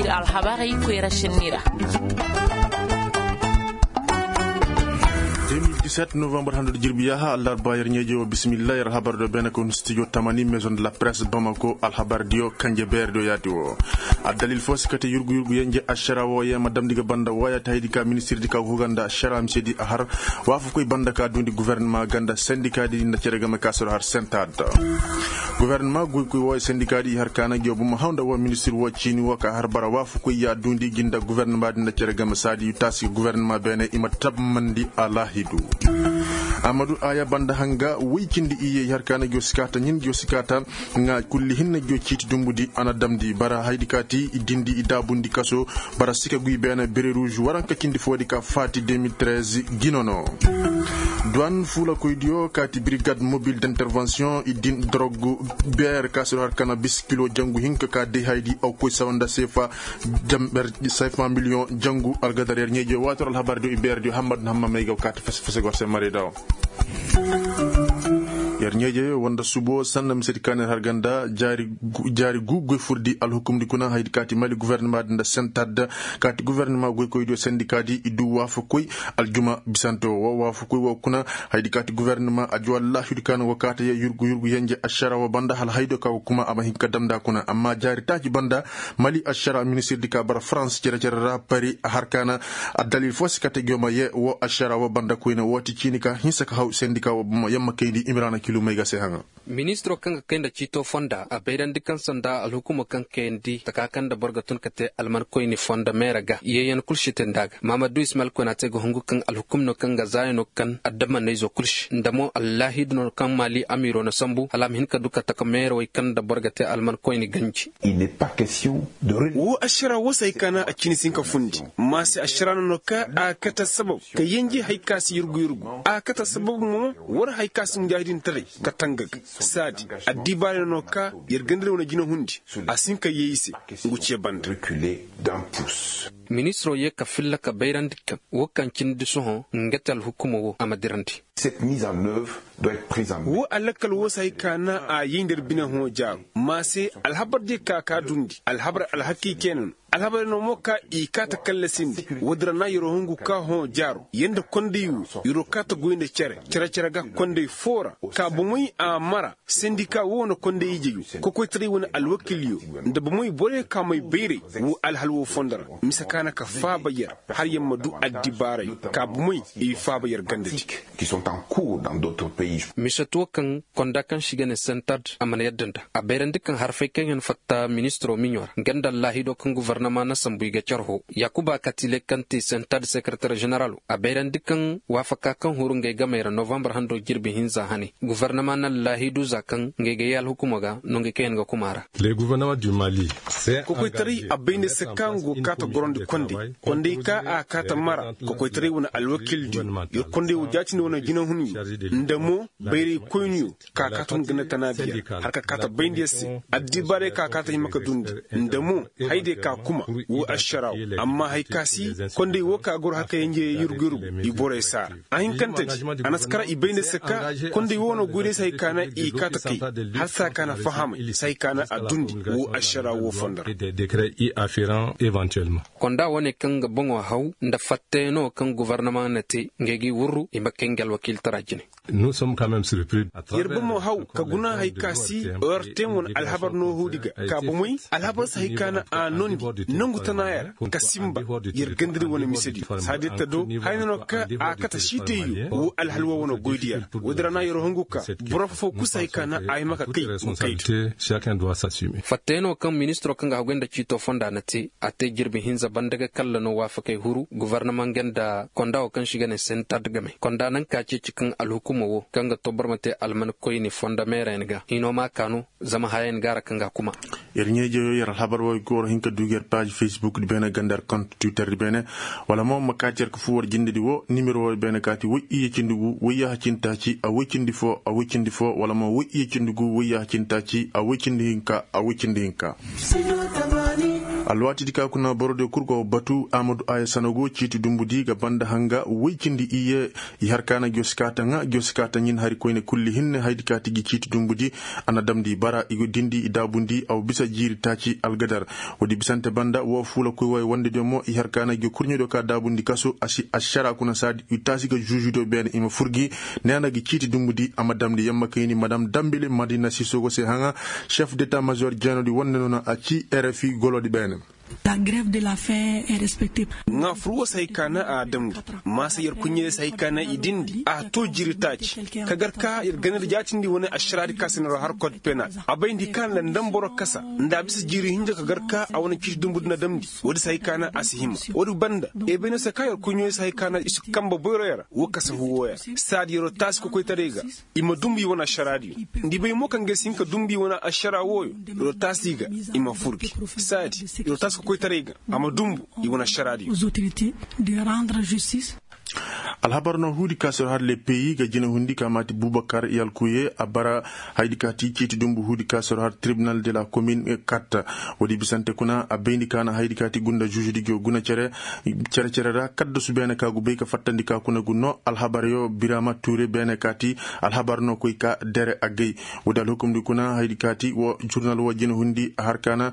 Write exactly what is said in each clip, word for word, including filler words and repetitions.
Alhabarey koyra senni ra. Deux mille dix-sept novembre hando da jirbi yaaha allarba yer ɲeeje wo bismillah yer alhabar do beene kon studio tamani maison de la presse bamako alhabar diyo kanje beer diyo yaati wo. Addalil fo si kate yurgu yurgu yenje ašara wo ye ma damndi ga banda waya ta haydi ka ministir di ka huga nda ašara mise di a har waafakoy banda ka duundi guvernema ga nda sendika di nda cere game ka soro har sentad. Guvernema goykoy wo sendika di i har ka na gi wo buma haw nda wo ministir wo ciini wo ka har bara waafakoy ya duundi gi nda guvernema di nda cere game saadi taasi guvernema beene i ma tammandi alaahidu. Amadu aya banda hanga woy cindi iyye i har ka na gi wo sikaata ɲin gi wo sikaata nga kulli hinne gi wo ciiti dumbudi a na damndi bara haydi ka ti i dindi i daabundi kaso bara sika guy beene bere ruuž waranka cindi foodi ka faati deux mille treize gino no. Duwan fuulakoydiyo kaati birigad mobil d'intervention i din dorog beer ka si har kana bis kilo jangu hinka ka day haydi aw koy sawa nda seefa jamber seefa miliyoŋ jangu algadar yer ɲeeje waator alhabar diyo i beer diyo hammad na hamma may ga kaati fese fese gor se mare daw. Yer ɲeeje wanda subo sanna misedi kaani har ganda jaari gu goy furdi alhukumdi kuna haydi kaati mali guvernema di nda sentad kaati guvernema goykoydiyo sendika di i du waafakoy aljuma bisante wo waafakoy wo kuna haydi kaati guvernema ajo wallahidi kaani wo kaata ye yurgu yurgu yenje ašara wo banda hala haydo ka wo kuma a ma hin ka damndi a kuna amma jaari taaci banda mali ašara ministir di ka bara farans cere cere ra pari a har kaana addalil fo si kate gi wo ma ye wo ašara wo banda koyne wo ti ciini ka hinsa ka haw sendika wo buma yamma kayndi imiraana kilu may ga se haŋa. Ministiro kaŋ ga kay nda ciito fonda a bayrandi kaŋ sanda alhukumo kaŋ kayandi taka kaŋ nda boro ga tun ka te almankoyni fonda meera ga yeeyan kul si te nda a ga mahamadu ismail koyna te ga hungu kaŋ alhukum no kaŋ ga zaaya no kaŋ addamanayzo kul si nda mo allaahidu no kaŋ maali amiiro na sambu hala a ma hin ka du ka taka meerawey kaŋ nda boro ga te almankoyni ganji. Wo ašara wo se hay ka na a cini si hin ka fundi ma se ašara no no ka a kate sabab ka yenji hay ka si yurgu yurgu a kate sabab mo war hay ka si mujaahidintaray ka tanga ga saadi addibaarey no ka yer gandari wane jinahundi a si hin ka yee i se ngu ce banda. Ministiroo yee ka filla ka bayrandi kaŋ woo kaŋ cindi sohõ nga te alhukumoo woo a ma dirandi. Woo alakkal woo se hay ka na a yay nda yer bine hõ jaaru ma se alhabar diyo ka ka dundi alhabar alhakii keena no alhabar no mo ka i kaa ta kallasindi woodi ra na yeroo hungu ka hõ jaaru yer nda konday woo yeroo kaa ta goy nda cere cere cere ga konday foo ra ka bomey a mara sendika woo na konday ijeyoo kokoytaray wane alwakilyo nda bomey borey ka may bayray woo alhal woo fondo ra mise ka na ka faaba yer har yer ma duu addibaaray ka bomey i faaba yer gandadi. Mise too kaŋ konda kaŋ se i ga ne sentad a mana yadda nda a bayrandi kaŋ harfey kaŋ yaŋ fatta ministiroo miɲoo ra nga nda allaahidoo kaŋ guvarnama na sambu i ga carhoo yaakuba katile kaŋ ti sentad sekereter ženeraloo a bayrandi kaŋ waafaka kaŋ huru ngey gamey ra novambar handoo jirbi hinza hane guvarnama na allaahidu za kaŋ ngey ga yee alhukumoo ga nongey kaŋ yaŋ ga kuma a ra. Kokoytaray a bay nda se ka nga go kaa ta gorandi konday konday ka a kaa ta mara kokoytaray wane alwakildiyo yer konday woo jaatindi wane jinahunyo nda mo bayraykoyniyo ka kaa ta hun ganda tanaadiya har ka kaa ta bayndi yer se addibaaray ka kaa ta hima ka dundi nda mo haydiyo ka kuma woo ašaraawo amma hay ka si konday woo ka goro haka yenje yurgu yurgu i borey saara a hinkantedi a na si kara i bay nda se ka konday woo no goyday se hay ka na i kaa ta kay hala se hay ka na fahamay se hay ka na a dundi woo ašaraawo woo fondo ra. Konda wane kaŋ ga boŋo haw nda fattayanoo kaŋ gobornama na te ngey g'i wurru i ma kay nga alwakiiltara jine. Yer bomo haw ka guna hay ka si orten wane alhabar noohudi ga ka bomey alhabar si hay ka na a nondi nongu tanaaya ra ka sinba yer gandari wane misedi saadi ta do haya no ka a kate siitayyo woo alhalwa wane goydiya ra woodi ra na yer hungu ka boro foo kul si hay ka na a hima ka kay. Fatteenoo kaŋ ministiroo kaŋ ga haguy nda ciitoo fonda na te a te jirbi hinza banda ga kalla no waafakey huru gobornama nga nda konda woo kaŋ se i ga ne sentad game konda naŋ ka ceeci kaŋ alhukumoo woo kaŋ ga too boro ma te almankoyni fondo meerayaŋ ga hinoo ma a kaanu zama hayayaŋ ga a ra kaŋ ga a kuma. Yer ɲaa-ijeyoo yer alhabar woo gooro hin ka duu ga yer paaz fesbuk di beene ganda yer kont twitter di beene wala mo ma kaa ci yer ka fuu war jindedi woo nimero woo beene kaati woy iyye cindi gu woy yaaha cindi taaci a woy cindi foo a woy cindi foo wala mo woy iyye cindi gu woy yaaha cindi taaci a woy cindi hinka a woy cindi hinka. Alwaatidi ka kuna borodiyo kul go batu amadu aya sanago ciiti dumbudi ga banda hanga woy cindi iyye. I har ka na giyo si kaata ŋa giyo si kaata ɲin hari koyne kulli hinne haydi ka ti gi ciiti dumbudi. A na damndi bara i go dindi i daabundi aw bisa jiiri taaci algadar. Woodi bisante banda wo fuula koy wo ay wandediyo mo i har ka na giyo kurɲediyo ka daabundi kasu a si ašara kuna saadi i taasi ga žuužudiyo beene i ma fur gi. Neena gi ciiti dumbudi a ma damndi yamma kayni madam dambili madina sisogo se haŋa. Šef deta mazoor jeenodi wande noona a ci rfi golodi beene. La grève de la fin est respectée. Ŋaa fur wo si hay ka na a damndi. Maasa yer kuɲɲe se hay ka na i dindi a to jiiri taaci ka gar ka yer ganda jaatindi wane ašaraadi ka se na ro har kod penal. A bayndi ka nda nda boro kasa nda a bisa jiiri hinja ka gar ka a wane ciiti dumbu di na damndi. Woodi si hay ka na a si hima. Woodi banda ebene se ka yer kuɲɲe se hay ka na i si kamba boyro yer wo kasa huwo yer. Saadi yeroo taasi kokoytaray ga i ma dumbu i wane ašaraadiyo. Nda i bay mo kaŋ ga si hin ka dumbu i wane ašara wooyo. Yeroo taasi ga i ma fur gi saadi yeroo taasi kokoytaray ga a ma dumbu i wane ašaraadiyo. Alhabar no huudi ka sor har le peyi ga jina hundi ka maati bubakar yalkuye a bara. Haydi ka ti ciiti dumbu huudi ka sor har tribunal de la komin katta. Woodi bisante kuna a bayndi ka na haydi ka ti gunda žužudi go guna cere. Cere cere ra kaddasu beene ka gu bay ka fattandi ka kuna gu no alhabaryo birama ture beene ka ti alhabar no koy ka dere a gay. Woodi alhukumdi kuna haydi ka ti wo jurnal wo jina hundi a har ka na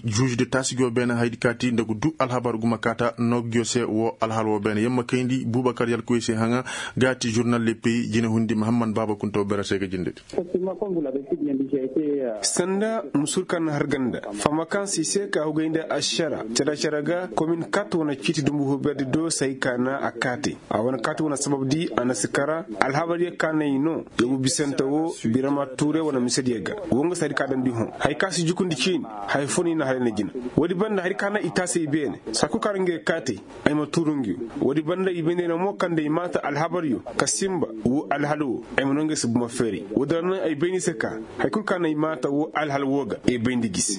žužudi taasi go beene haydi ka ti nda gu du alhabar guma kaata no giyo se wo alhal wo beene yamma kayndi bubakar yalkuye se haŋa. Ga ti žurnal le peyi jina hundi mahamman baaba kunto bere se ga jindedi. Sanda musur ka na har ganda fama kaŋ si se ka hugay nda ašara cere cere ga komin kat wane ciiti dumbu huberdi do si hay ka na a kaate. A wane kat wane sabab di a na si kara alhabar ye ka na i no. Yobu bisante wo birama ture wane misediyo ga wo nga si hari ka damndi hõ hari ka si jukundi ciini. Hari fo no i na hari na jina. Woodi banda hari ka na i taasey beene saa kul ka ra nga ye kaate. Ay ma tuuru ngi. Woodi banda i bay nda ay na mo kaŋ nda ay maata alhabaryo ka sinba. Woo alhal woo ay ma no ngi si buma feeray. Woodi ra na ay bay nda ay se ka hari kul ka na ay maata woo alhal woo ga ay bay nda gisi.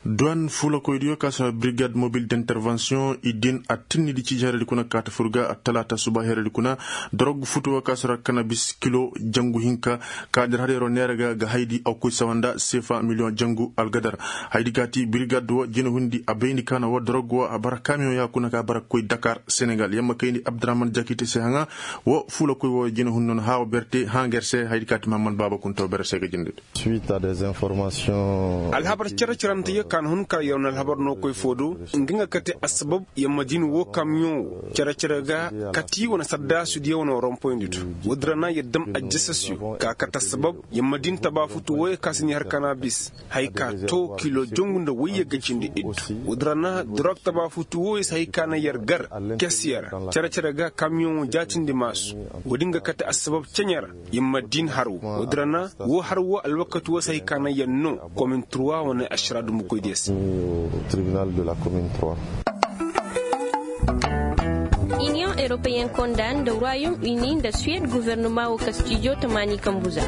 Duwan fuulakoydiyo ka si no birigad mobil d'intervention i din a tinnidi ciiji haradi kuna kaata fur ga a talaata suba haradi kuna. Dorog futu woo ka si no kanabis kilo jangu hinka ka dir har yeroo neera ga ga haydi a koy sawa nda seefa miliyoŋ jangu algadar. Haydi ka ti birigad woo jinahundi a bayndi ka na woo dorog woo a bara kamiyoŋ ya kuna ka bara ga koy dakar senegal yamma kayndi abdurahman jakite se haŋa. Woo fuulakoy woo jinahundi no na haawa berte haaŋ ger se haydi ka ti mahammad baaba kuntaw bere se ga jindidi. Alhabar cere-cerante yo ka na hun ka yer wane alhabar no koy foo do nga nga kate assabab yer ma din woo kamiyoŋ woo cere-cere ga kati wane saddaasu diyo wane rompoyndi do. Woodi ra na yer dam ajjasasiyo ka kate assabab yer ma din tabaafutu wooyo ka si ni har kanabis haya ka too kilo jongu nda woyye ga cindi iddu. Woodi ra na dorog tabaafutu wooyo si haya ka na yer gar kesiye ra cere-cere ga kamiyoŋ woo jaatindi maasu. Woodi nga kate assabab ceɲe ra yer ma din har woo woodi ra na woo har woo alwakati woo si hay ka na yer noo komin turwa wane ašara dumbukoydiyo se. Iniyoŋ eropeyen konda nda royom uni nda suwed gofornoma woo kastijo tamaani kambuza.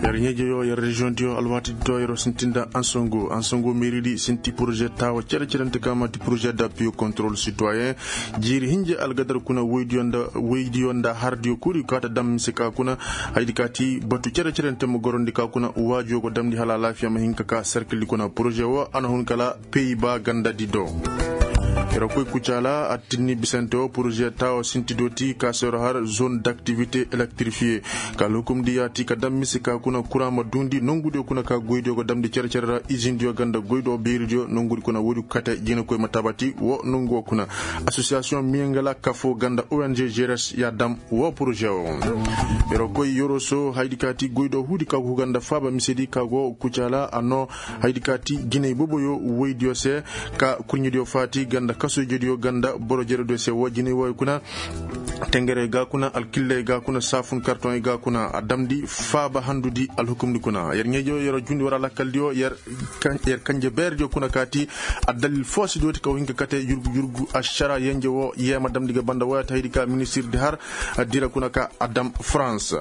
Yer ɲeejeyo yer reziyoŋdiyo alwaatidi to yeroo sinti nda ansongo ansongo meeridi sinti poroze taawa cere-cerente kaŋ man'ti poroze dappiyo kontrol sitoyen. Jiiri hinja algadar kuna woydiyo nda hardiyo kul i kaata dam mise ka kuna. Haydi ka ti batu cere-cerente ma gorondi ka kuna waajiyo go damndi hala alaafiya ma hin ka ka serkildi kuna poroze woo a na hun kala peyi ba gandadi do. Yer koy kucaala a tinni bisante woo poroze taawa sinti dooti ka se yer har zone daktivite elektrifiye. Ka alhukumdi yaati ka dam mise ka kuna kuraŋ ma duundi nongudiyo kuna ka goydiyo go damndi cere-cere ra izindiyo ganda goydo beeridiyo nongudi kuna woodi kate jinakoy ma tabati woo nongu woo kuna. Asosiyasiyoŋ miyangala kafoo ganda ong jeres ya dam woo poroze woo. Yer koy yoroso haydi ka ti goydo huudi ka go huganda faaba misedi ka go kucaala a noo. Haydi ka ti jinay boboyo woydiyo se ka kurɲediyo faati ganda kasoy jediyo ganda boro jerediyo se woo jinay wooyo kuna. Tengere ga kuna alkilley ga kuna saafun kartoŋey ga kuna a damndi faaba handudi alhukumdi kuna yer ɲeejo yer jundi war alakkaldiyo yer kanje beerediyo kuna ka ti. Addalil foo si dooti ka woo hin ka kate jurgu jurgu ašara yenje woo yeema damndi ga banda woyata haydi ka ministirdi har dira kuna ka a dam farans.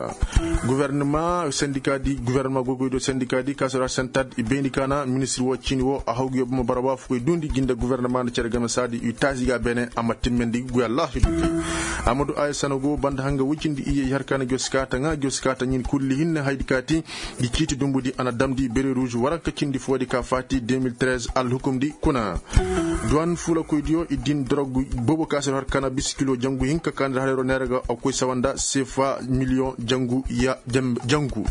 Guvernema sendika di guvernema goygoydo sendika di ka sora sentad i bayndi ka na ministir woo ciini woo a haw gi yo buma bara waafukoy duundi gi nda guvernema nda cere game. Di i taasi ga beene a ma timmandi guya laahidu. Amadu ayasana go banda hanga woy cindi iyye i har ka na gosi kaata ŋaa gosi kaata ɲin kulli hinne haydi kaati. Di ciiti dumbudi a na damndi bere ruuzu waranka cindi foodi ka faati deux mille treize alhukumdi kuna. Duwan fuulakoydiyo i din dorog boobo ka se har ka na bisa kilo jangu hinka ka na da harayro neera ga a koy sawa nda seefa miliyoŋ jangu ya jangu.